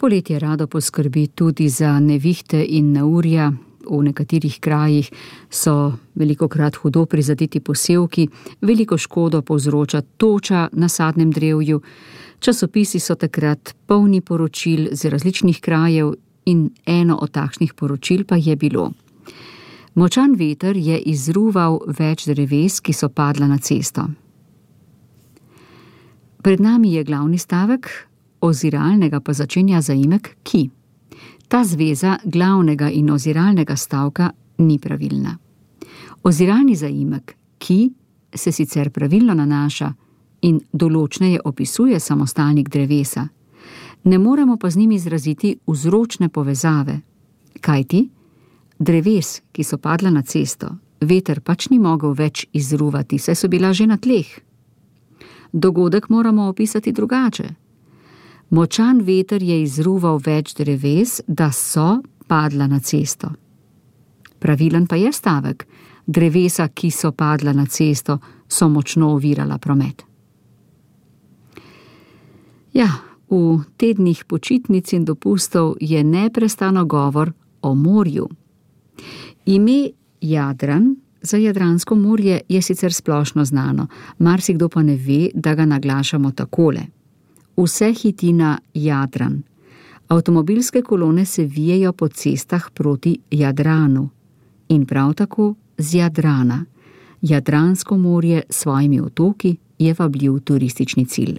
Poletje rado poskrbi tudi za nevihte in neurja. V nekaterih krajih so velikokrat hudo prizadeti posevki, veliko škodo povzroča toča na sadnem drevju. Časopisi so takrat polni poročil z različnih krajev in eno od takšnih poročil pa je bilo: močan veter je izruval več dreves, ki so padla na cesto. Pred nami je glavni stavek, oziralnega pa začenja zaimek ki. Ta zveza glavnega in oziralnega stavka ni pravilna. Oziralni zaimek ki se sicer pravilno nanaša in določneje opisuje samostalnik drevesa, ne moremo pa z njim izraziti vzročne povezave, kajti dreves, ki so padla na cesto, veter pač ni mogel več izruvati, saj so bila že na tleh. Dogodek moramo opisati drugače. Močan veter je izruval več dreves, da so padla na cesto. Pravilen pa je stavek: drevesa, ki so padla na cesto, so močno ovirala promet. Ja, v tednih počitnic in dopustov je neprestano govor o morju. Ime Jadran za Jadransko morje je sicer splošno znano, marsikdo pa ne ve, da ga naglašamo takole: vse hiti na Jadran. Avtomobilske kolone se vijejo po cestah proti Jadranu in prav tako z Jadrana. Jadransko morje s svojimi otoki je vabljiv turistični cilj.